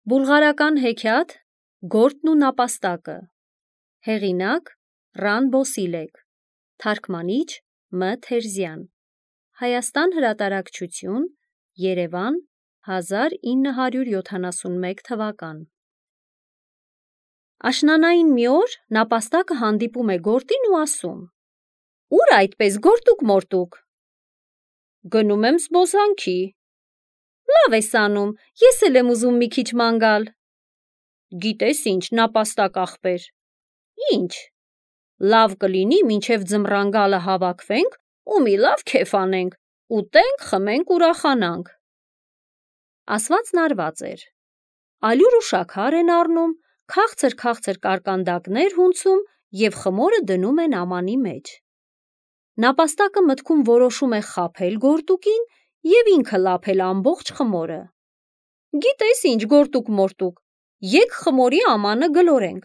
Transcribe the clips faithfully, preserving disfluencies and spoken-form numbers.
Բուլղարական հեքիաթ Գորտն ու նապաստակը, հեղինակ Ռան Բոսիլեկ, թարգմանիչ Մ. Թերզյան, Հայաստան հրատարակչություն, Երևան, հազար ինը հարյուր յոթանասունմեկ թվական։ Աշնանային մի օր նապաստակը հանդիպում է Գորտին ու ասում. «Ուր այդպես գորտուկ մորտուկ»։ «Գնում եմ զբոսանքի»։ «Լավ ես անում, ես էլ եմ ուզում մի քիչ ման գալ»։ «Գիտես ինչ, նապաստակ ախպեր»։ «Ինչ»։ «Լավ կլինի մինչև ձմռան գալը հավաքվենք ու մի լավ քեֆ անենք, ուտենք, խմենք, ուրախանանք»։ Ասվածն արված էր։ Ալյուր ու շաքար են առնում, քաղցր-քաղցր կարկանդակներ հունցում և խմորը դնում են ամանի մեջ։ Նապաստակը մտքում որոշում է խաբել գորտուկին և ինքը լափել ամբողջ խմորը։ «Գիտես ինչ, գորտուկ մորտուկ, եկ խմորի ամանը գլորենք,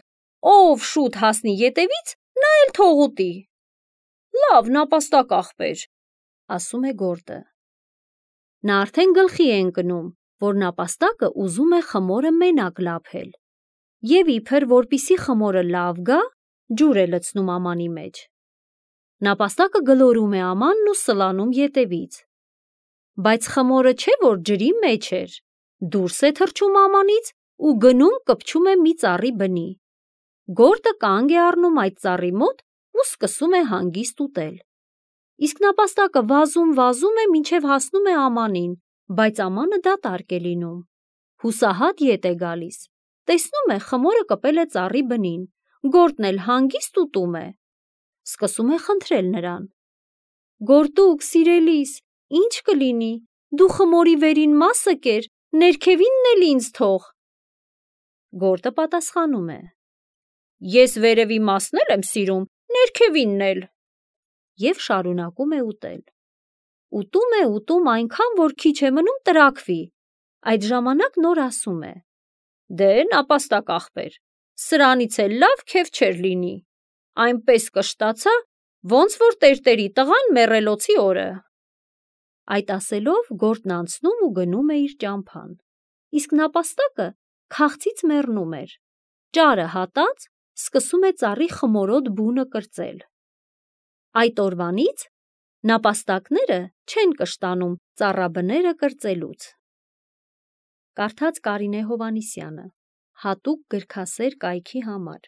ով շուտ հասնի ետևից, նա էլ թող ուտի»։ «Լավ, նապաստակ ախպեր», ասում է գորտը։ Նա արդեն գլխի է ընկնում, որ նապաստակը ուզում է խմորը մենակ լափել և իբր որպեսզի խմորը լավ գա, ջուր է լցնում ամանի մեջ։ Նապաստակը գլորում է ամանն ու սլանում ետևից։ Բայց խմորը չէ որ ջրի մեջ էր, դուրս է թռչում ամանից ու գնում կպչում է մի ծառի բնի։ Գորտը կանգ է առնում այդ ծառի մոտ ու սկսում է հանգիստ ուտել։ Իսկ նապաստակը վազում-վազում է, մինչև հասնում է ամանին, բայց ամանը դատարկ է լինում։ Հուսահատ ետ է գալիս, տեսնում է խմորը կպել է ծառի բնին, գորտն էլ հանգիստ ուտում է։ Սկսում է խնդրել նրան. «Գորտուկ, սիրելիս, ի՞նչ կլինի, դու խմորի վերին մասը կեր, ներքևինն էլ ինձ թող»։ Գորտը պատասխանում է. «Ես վերևի մասն էլ եմ սիրում, ներքևինն էլ»։ Եվ շարունակում է ուտել։ Ուտում է, ուտում այնքան, որ քիչ է մնում տրաքվի։ Այդ ժամանակ նոր ասում է. «Դե նապաստակ ախպեր, սրանից էլ լավ քեֆ չէր լինի, այնպես կշտացա, ոնց որ տերտերի տղան մեռելոցի օրը»։ Այդ ասելով գորտն անցնում ու գնում է իր ճամփան, իսկ նապաստակը քաղցից մեռնում էր, ճարը հատած, սկսում է ծառի խմորոտ բունը կրծել։ Այդ օրվանից նապաստակները չեն կշտանում ծառաբները կրծելուց։ Կարդաց Կարինե Հովհաննիսյանը, հատուկ գրքասեր կայքի համար։